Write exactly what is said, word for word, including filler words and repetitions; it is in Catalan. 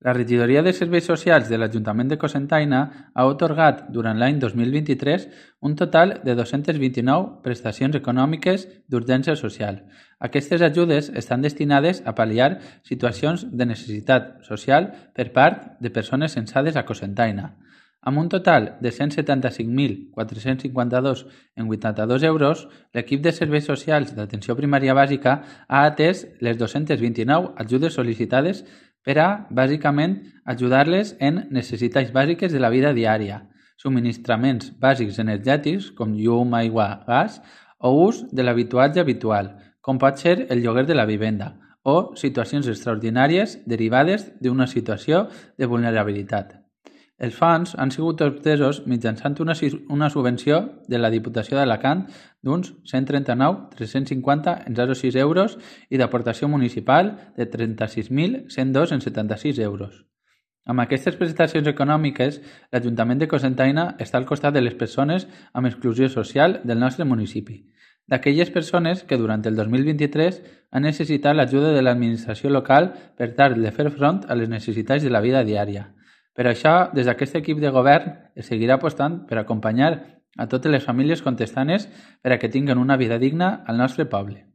La Regidoria de Serveis Socials de l'Ajuntament de Cocentaina ha atorgat durant l'any dos mil vint-i-tres un total de dos-centes vint-i-nou prestacions econòmiques d'urgència social. Aquestes ajudes estan destinades a pal·liar situacions de necessitat social per part de persones censades a Cocentaina. Amb un total de cent setanta-cinc mil quatre-cents cinquanta-dos coma vuitanta-dos euros, l'equip de serveis socials d'atenció primària bàsica ha atès les dos-centes vint-i-nou ajudes sol·licitades per a, bàsicament, ajudar-les en necessitats bàsiques de la vida diària, subministraments bàsics energètics com llum, aigua, gas, o ús de l'habituatge habitual, com pot ser el lloguer de la vivenda, o situacions extraordinàries derivades d'una situació de vulnerabilitat. Els fons han sigut obtesos mitjançant una, una subvenció de la Diputació d'Alacant d'uns cent trenta-nou mil tres-cents cinquanta coma zero sis euros i d'aportació municipal de trenta-sis mil cent dos coma setanta-sis euros. Amb aquestes prestacions econòmiques, l'Ajuntament de Cocentaina està al costat de les persones amb exclusió social del nostre municipi, d'aquelles persones que durant el dos mil vint-i-tres han necessitat l'ajuda de l'administració local per tal de fer front a les necessitats de la vida diària. Per això, des d'aquest equip de govern es seguirà apostant per acompanyar a totes les famílies contestanes per a que tinguin una vida digna al nostre poble.